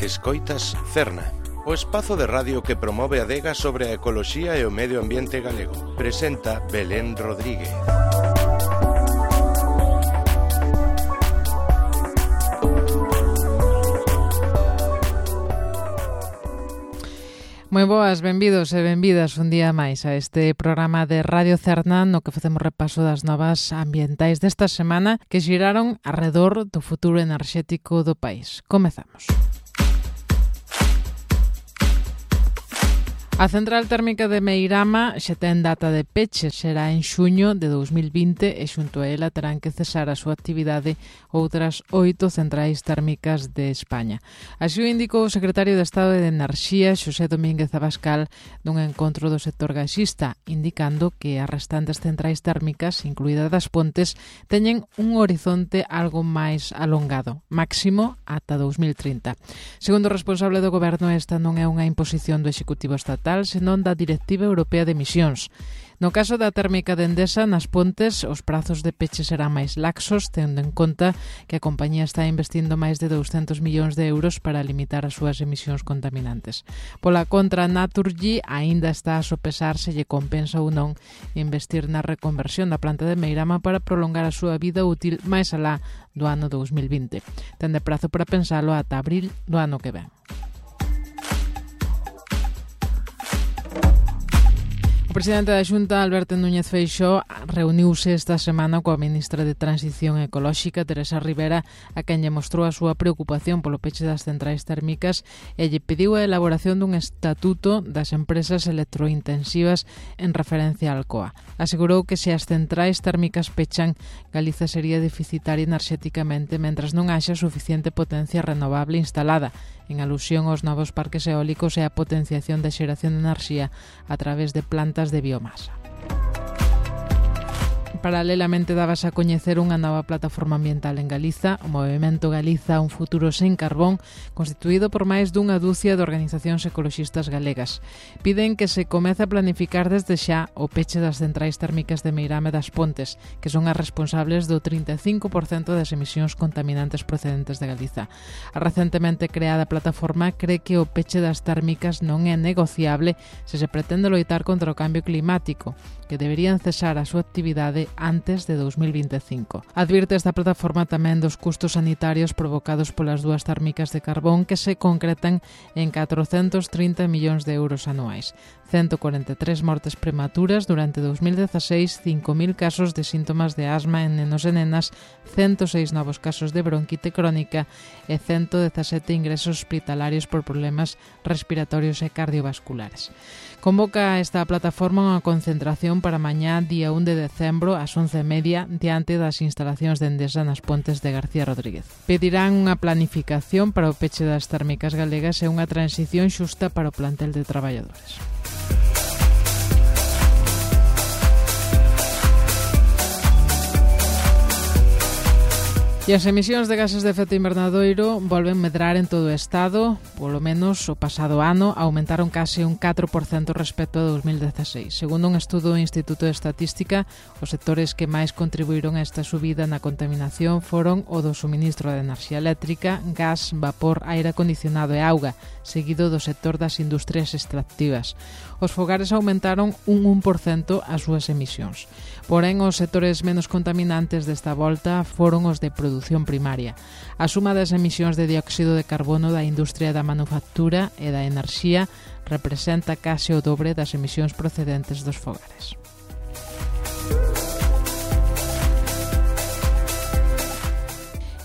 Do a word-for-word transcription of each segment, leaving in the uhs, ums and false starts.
Escoitas Cerna, o espazo de radio que promove a adega sobre a ecoloxía e o medio ambiente galego. Presenta Belén Rodríguez. Moi boas, benvidos e benvidas un día máis a este programa de Radio Cerna no que facemos repaso das novas ambientais desta semana que xiraron arredor do futuro enerxético do país. Comezamos. A central térmica de Meirama xa ten data de peche, será en xuño de dous mil vinte e xunto a ela terán que cesar a súa actividade outras oito centrais térmicas de España. Así o indicou o secretario de Estado de Enerxía, Xosé Domínguez Abascal, dun encontro do sector gasista, indicando que as restantes centrais térmicas, incluídas das Pontes, teñen un horizonte algo máis alongado, máximo ata dous mil trinta. Segundo o responsable do goberno, esta non é unha imposición do Executivo Estatal, senón da Directiva Europea de Emisións. No caso da térmica de Endesa, nas Pontes, os prazos de peche serán máis laxos, tendo en conta que a compañía está investindo máis de douscentos millóns de euros para limitar as súas emisións contaminantes. Pola contra, Naturgy aínda está a sopesar se lle compensa ou non investir na reconversión da planta de Meirama para prolongar a súa vida útil máis alá do ano dous mil vinte. Ten de prazo para pensalo ata abril do ano que ven. O presidente da Xunta, Alberto Núñez Feixóo, reuniuse esta semana coa ministra de Transición Ecolóxica, Teresa Rivera, a quen lle mostrou a súa preocupación polo peche das centrais térmicas e lle pediu a elaboración dun estatuto das empresas electrointensivas en referencia á Alcoa. Asegurou que se as centrais térmicas pechan, Galiza sería deficitaria enerxéticamente mentras non haxa suficiente potencia renovable instalada, en alusión aos novos parques eólicos e a potenciación da xeración de enerxía a través de plantas de biomasa. Paralelamente dábase a coñecer unha nova plataforma ambiental en Galiza, o Movemento Galiza un futuro sen carbón, constituído por máis dunha dúcia de organizacións ecoloxistas galegas. Piden que se comece a planificar desde xa o peche das centrais térmicas de Meirama e das Pontes, que son as responsables do trinta e cinco por cento das emisións contaminantes procedentes de Galiza. A recentemente creada plataforma cree que o peche das térmicas non é negociable se se pretende loitar contra o cambio climático, que deberían cesar a súa actividade antes de dous mil vinte e cinco. Advirte esta plataforma tamén dos custos sanitarios provocados polas dúas térmicas de carbón que se concretan en catrocentos trinta millóns de euros anuais. ciento cuarenta e tres mortes prematuras durante dous mil dezaseis, cinco mil casos de síntomas de asma en nenos e nenas, ciento seis novos casos de bronquite crónica e ciento dezasete ingresos hospitalarios por problemas respiratorios e cardiovasculares. Convoca esta plataforma unha concentración para mañá, día un de decembro, ás once e media, diante das instalacións de Endesa nas Pontes de García Rodríguez. Pedirán unha planificación para o peche das térmicas galegas e unha transición xusta para o plantel de traballadores. E as emisións de gases de efecto invernadoiro volven medrar en todo o Estado, polo menos o pasado ano, aumentaron case un catro por cento respecto a dous mil dezaseis. Segundo un estudo do Instituto de Estatística, os sectores que máis contribuíron a esta subida na contaminación foron o do suministro de enerxía eléctrica, gas, vapor, aire acondicionado e auga, seguido do sector das industrias extractivas. Os fogares aumentaron un un por cento as súas emisións. Porén, os sectores menos contaminantes desta volta foron os de produción primaria. A suma das emisións de dióxido de carbono da industria da manufactura e da enerxía representa case o dobre das emisións procedentes dos fogares.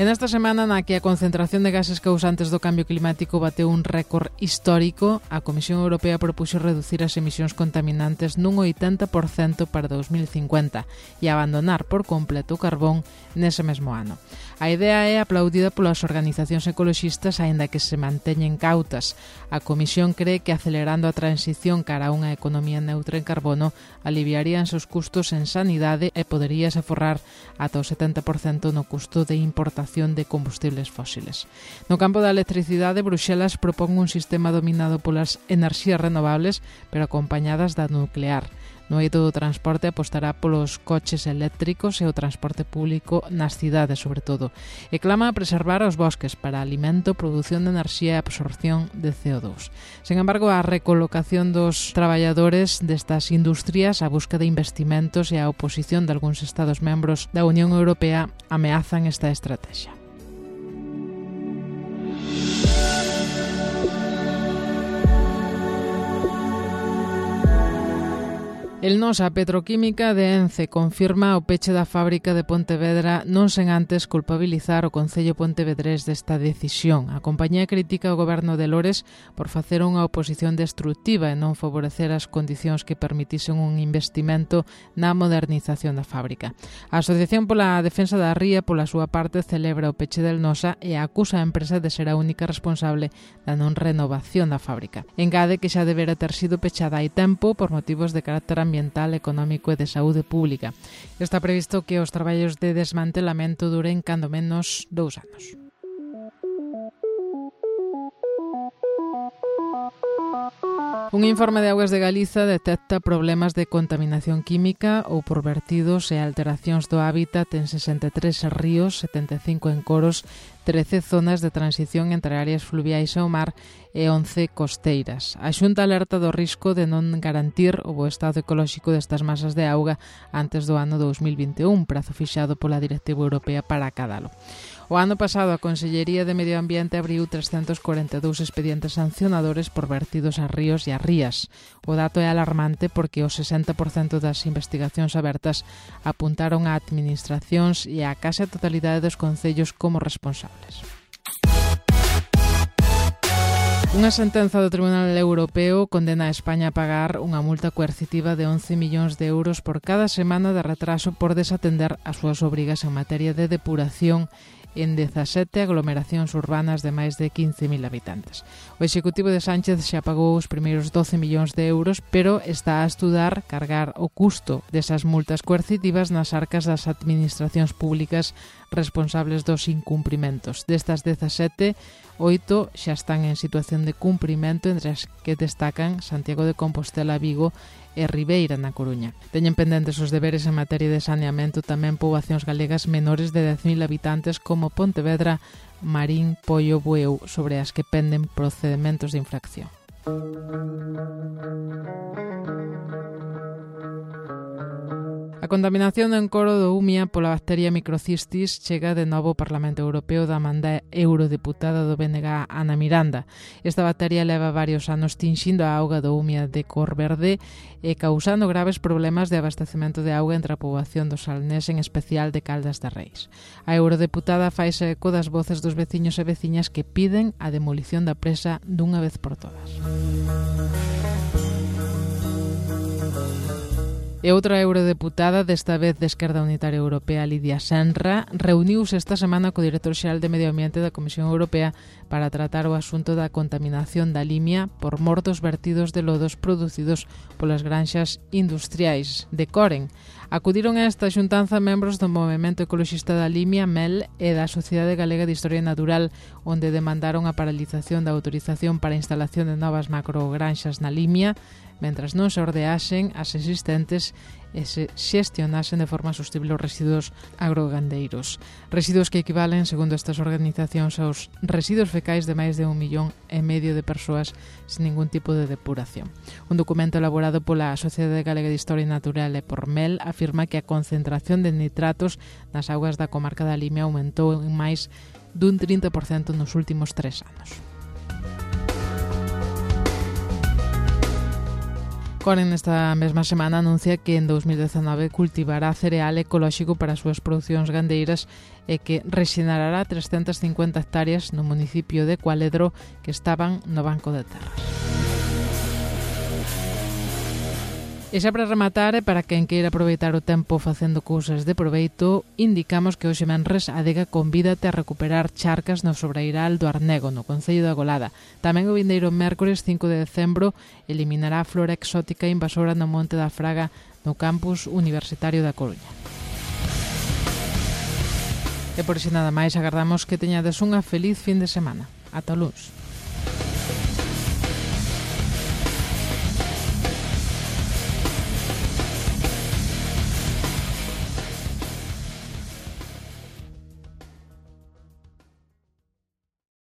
En esta semana na que a concentración de gases causantes do cambio climático bateu un récord histórico, a Comisión Europea propuxo reducir as emisións contaminantes nun oitenta por cento para dous mil cincuenta e abandonar por completo o carbón nese mesmo ano. A idea é aplaudida polas organizacións ecoloxistas, aínda que se manteñen cautas. A Comisión cree que acelerando a transición cara a unha economía neutra en carbono aliviaríanse os custos en sanidade e poderíase aforrar ata o setenta por cento no custo de importación de combustibles fósiles. No campo da electricidade, Bruxelas propón un sistema dominado polas enerxías renovables, pero acompañadas da nuclear. No eido do transporte apostará polos coches eléctricos e o transporte público nas cidades, sobre todo. E clama a preservar os bosques para alimento, produción de enerxía e absorción de C O dos. Sen embargo, a recolocación dos traballadores destas industrias, a busca de investimentos e a oposición de algúns Estados membros da Unión Europea ameazan esta estrategia. El Nosa Petroquímica de Ence confirma o peche da fábrica de Pontevedra non sen antes culpabilizar o Concello pontevedrés desta decisión. A compañía critica o goberno de Lores por facer unha oposición destructiva e non favorecer as condicións que permitisen un investimento na modernización da fábrica. A Asociación pola Defensa da Ría, pola súa parte, celebra o peche del Nosa e acusa a empresa de ser a única responsable da non renovación da fábrica. Engade que xa debera ter sido pechada hai tempo por motivos de carácter ambiental, económico e de saúde pública. Está previsto que os traballos de desmantelamento duren cando menos dous anos. Un informe de Augas de Galiza detecta problemas de contaminación química ou por vertidos e alteracións do hábitat en sesenta e tres ríos, setenta e cinco encoros, trece zonas de transición entre áreas fluviais ao mar e once costeiras. A Xunta alerta do risco de non garantir o bo estado ecolóxico destas masas de auga antes do ano dous mil vinte e un, prazo fixado pola Directiva Europea para acadalo. O ano pasado, a Consellería de Medio Ambiente abriu trescentos corenta e dous expedientes sancionadores por vertidos a ríos e a rías. O dato é alarmante porque o sesenta por cento das investigacións abertas apuntaron a administracións e a case totalidade dos concellos como responsables. Unha sentenza do Tribunal Europeo condena a España a pagar unha multa coercitiva de once millóns de euros por cada semana de retraso por desatender as súas obrigas en materia de depuración en dezasete aglomeracións urbanas de máis de quince mil habitantes. O Executivo de Sánchez xa pagou os primeiros doce millóns de euros, pero está a estudar cargar o custo desas multas coercitivas nas arcas das administracións públicas responsables dos incumprimentos. Destas dezasete, oito xa están en situación de cumprimento, entre as que destacan Santiago de Compostela, Vigo e Ribeira, na Coruña. Teñen pendentes os deberes en materia de saneamento tamén poboacións galegas menores de dez mil habitantes como Pontevedra, Marín, Poio, Bueu, sobre as que penden procedementos de infracción. A contaminación do encoro do Umia pola bacteria microcistis chega de novo ao Parlamento Europeo da manda eurodeputada do B N G Ana Miranda. Esta bacteria leva varios anos tinxindo a auga do Umia de cor verde e causando graves problemas de abastecemento de auga entre a poboación do Salnés, en especial de Caldas de Reis. A eurodeputada faise eco das voces dos veciños e veciñas que piden a demolición da presa dunha vez por todas. E outra eurodeputada, desta vez de Esquerda Unitaria Europea, Lidia Senra, reuniuse esta semana co director xeral de Medio Ambiente da Comisión Europea para tratar o asunto da contaminación da Limia por mor dos vertidos de lodos producidos polas granxas industriais de Coren. Acudiron a esta xuntanza membros do Movemento Ecoloxista da Limia, M E L, e da Sociedade Galega de Historia Natural, onde demandaron a paralización da autorización para a instalación de novas macrogranxas na Limia, mentras non se ordeaxen as existentes e se xestionasen de forma sostible os residuos agrogandeiros. Residuos que equivalen, segundo estas organizacións, aos residuos fecais de máis de un millón e medio de persoas sin ningún tipo de depuración. Un documento elaborado pola Sociedade Galega de Historia Natural e por M E L afirma que a concentración de nitratos nas augas da comarca da Limia aumentou en máis dun trinta por cento nos últimos tres anos. Coren nesta mesma semana anuncia que en dous mil dezenove cultivará cereal ecolóxico para as súas producións gandeiras e que rexenará trescentas cincuenta hectáreas no municipio de Cualedro que estaban no Banco de Terras. E xa para rematar, e para quen queira aproveitar o tempo facendo cousas de proveito, indicamos que hoxe menres Adega convídate a recuperar charcas no Sobreiral do Arnego, no Concello da Golada. Tamén o vindeiro mércores cinco de decembro eliminará a flora exótica invasora no Monte da Fraga no campus universitario da Coruña. E por iso nada máis, agardamos que teñades unha feliz fin de semana. Ata o luns.